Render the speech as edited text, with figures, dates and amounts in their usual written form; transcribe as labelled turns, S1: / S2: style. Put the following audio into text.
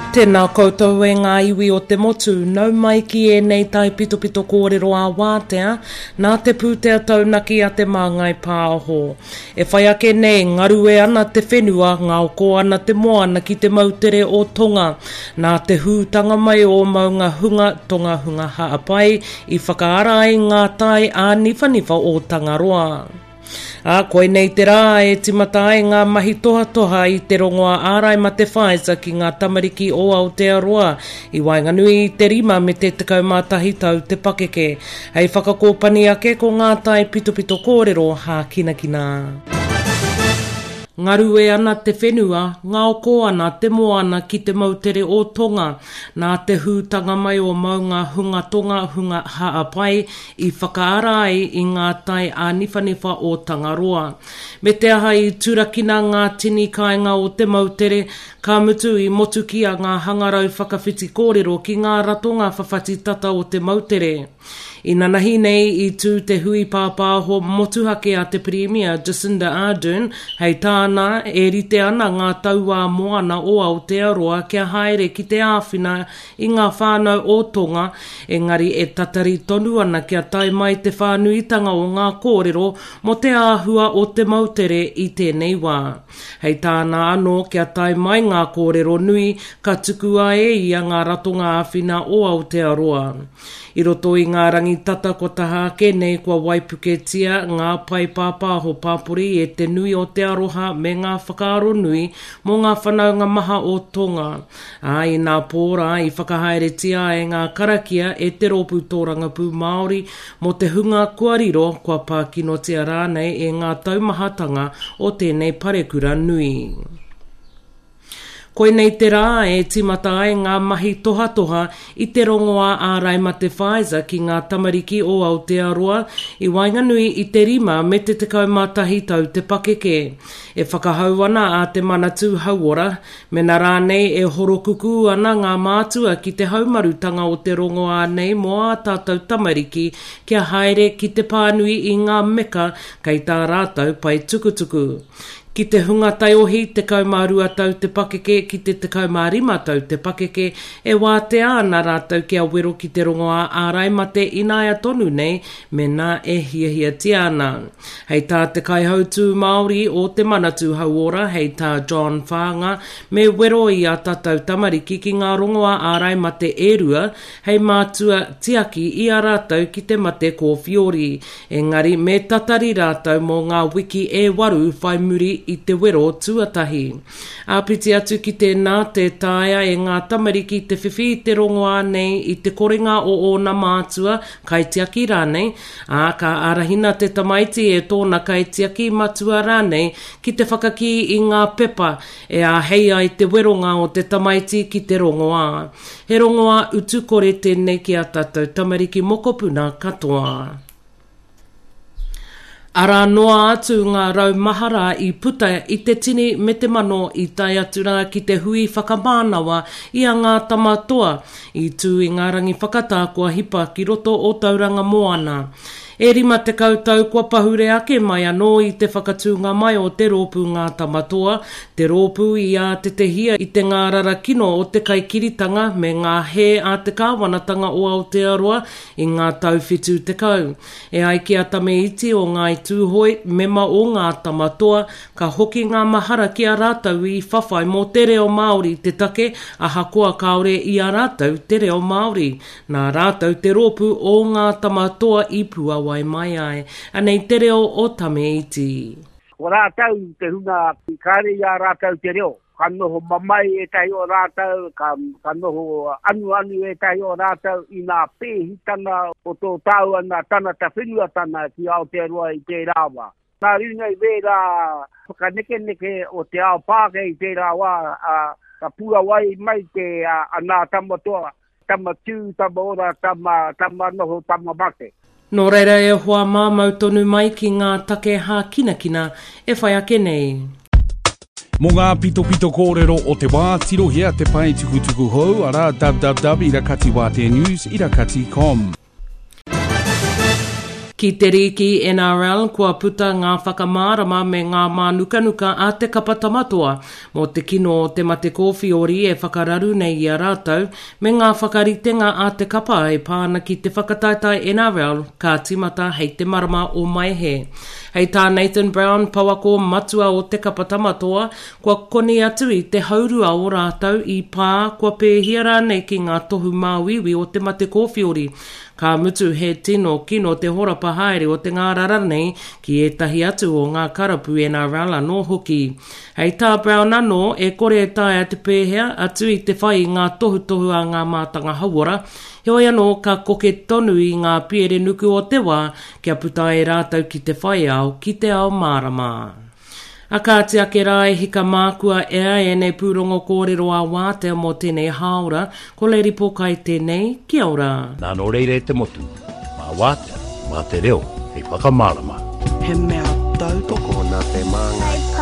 S1: Tēnā koutou e ngā iwi o te motu, nau mai ki ēnei taipitopito kōrero ā-wātea nā te pūtea taunaki a Te Māngai Pāho. E whai ake nei, ngarue ana te whenua, ngaoko ana te moana ki te moutere o Tonga. Nā te hūtanga mai o Maunga Hunga, Tonga Hunga Ha'apai, i whakaara ai ngā tai āniwhaniwha o Tangaroa. Ā, koinei te rā e tīmata ai ngā mahi tohatoha i te rongoā ārai mate Pfizer ki ngā tamariki o Aotearoa i waenganui i te rima me te 11 tau te pakeke. Hei whakakōpani ake ko ngā taipitopito kōrero hākinakina. Ngarue ana te whenua, ngaoko ana te moana ki te moutere o Tonga. Nā te hūtanga mai o Maunga Hunga Tonga Hunga Ha'apai i whakaara ai i ngā tai āniwhaniwha o Tangaroa. Me te aha i turakina ngā tini kāinga o te moutere, ka mutu i motukia ngā hangarau whakawhiti kōrero ki ngā ratonga whawhati tata o te moutere. Inanahi nei i tū te hui pāpāho motuhake a te Pirimia Jacinda Ardern, hei tāna, e rite ana ngā tauā moana o Aotearoa kia haere ki te āwhina i ngā whānau o Tonga, engari e tatari tonu ana kia tae mai te whānuitanga o ngā kōrero mō te āhua o te moutere i tēnei wā. Hei tāna anō kia tae mai ngā kōrero nui, ka tukua e ia ngā ratonga āwhina o Aotearoa. I roto i ngā rangi tata kua taha ake nei kua waipuketia ngā pae pāpāho pāpori e te nui o te aroha me ngā whakaaro nui mō ngā whanaunga maha o Tonga. Ā, inapō rā i whakahaeretia ai ngā karakia e te Rōpū Tōrangapū Māori mō te hunga kua riro, kua pā kinotia rānei e ngā taumahatanga o tēnei parekura nui. Koinei te rā e tīmata ai ngā mahi tohatoha i te rongoā ārai mate Pfizer ki ngā tamariki o Aotearoa i waenganui i te rima me te 11 tau te pakeke. E whakahau ana a Te Manatū Hauora Mena rānei e horokukū ana ngā mātua ki te haumarutanga o te rongoā nei mō ā tātou tamariki kia haere ki te pānui i ngā meka kei tā rātou pae tukutuku. Ki te hunga taiohi 12 tau te pakeke ki te 15 tau te pakeke, e wātea ana rātou kia wero ki te rongoā ārai mate ināia tonu nei mēnā e hiahiatia ana. Hei tā te Kaihautū Māori o Te Manatū Hauora, hei tā John Whaanga, me wero i ā tātou tamariki ki ngā rongoā ārai mate e rua hei mātua tiaki i a rātou ki te mate kōwhiori, engari me tatari rātou mō ngā wiki e waru whai muri i te wero tuatahi. Āpiti atu ki tēnā, tē taea e ngā tamariki te whiwhi i te rongoā nei i te korenga o ōna mātua, kaitiaki rānei, ā, ka ārahina te tamaiti e tōna kaitiaki, matua rānei, ki te whakakī i ngā pepa e āhei ai te weronga o te tamaiti ki te rongoā. He rongoā utu kore tēnei ki ā tātou tamariki mokopuna katoa. Arā noa atu ngā rau mahara i puta i te tini me te mano i tae atu rā ki te hui whakamānawa i a Ngā Tama Toa i tū i ngā rangi whakatā kua hipa ki roto o Tauranga Moana. E 50 tau kua pahure ake mai anō i te whakatūnga mai o te rōpū Ngā Tama Toa, te rōpū i ātetehia i te ngārara kino o te kaikiritanga me ngā hē a te kāwanatanga o Aotearoa i ngā tau 70. E ai ki a Tame Iti o Ngāi Tūhoe, mema o Ngā Tama Toa, ka hoki ngā mahara ki a rātou i whawhai mō te reo Māori te take, ahakoa kāore i a rātou te reo Māori. Nā rātou te rōpū o Ngā Tama Toa i puawai mai ai. Anei te reo o Tame Iti.
S2: Ko rātou te hunga kāre i a rātou te reo. Ka noho mamae ētahi o rātou, ka, ka noho anuanu ētahi o rātou i ngā pēhitanga o tō tāua nā tangata whenuatanga ki Aotearoa i tērā wā. Nā runga i wērā whakanekeneke o te ao Pākehā i tērā wā, ā, ka puawai mai te, a, a Nā Tamatoa, tama tū, tama ora, tama, tama noho, tama mate.
S1: Nō reira e hoa mā mau tonu mai ki ngā take hākinakina e whai ake nei.
S3: Mō ngā pitopito kōrero o te wā, tirohia te pae tukutuku hou, arā, www.irakatiwāteanews irakati com.
S1: Ki te rīki NRL, kua puta ngā whakamārama me ngā mānukanuka a te kapa Tamatoa mō te kino o te mate kōwhiori e whakararu nei i a rātou, me ngā whakaritenga a te kapa e pā ana ki te whakataetae NRL ka tīmata hei te marama o Maehe. Hei tā Nathan Brown, pouako matua o te kapa Tamatoa, kua koni atu i te haurua o rātou i pā, kua pēhia rānei ki ngā tohu māuiui o te mate kōwhiori. Ka mutu he tino kino te horapa haere o te ngārara nei ki ētahi atu o ngā karapu NRL anō hoki. Hei tā Brown anō, e kore e taea te pēhea, atu i te whai i ngā tohutohu a ngā mātanga hauora, heoi anō ka koke tonu i ngā piere nuku o te wā kia puta ai rātou ki te whai ao, ki te ao mārama. A kāti ake rā e hika mā kua ea ēnei pūrongo kōrero ā wātea mō tēnei hāora, ko Lady Pōkai tēnei, kia ora.
S4: Nā nō reira e te motu, mā wātea, mā te reo hei whakamārama.
S5: He mea tautoko.
S6: Tokona te māngai.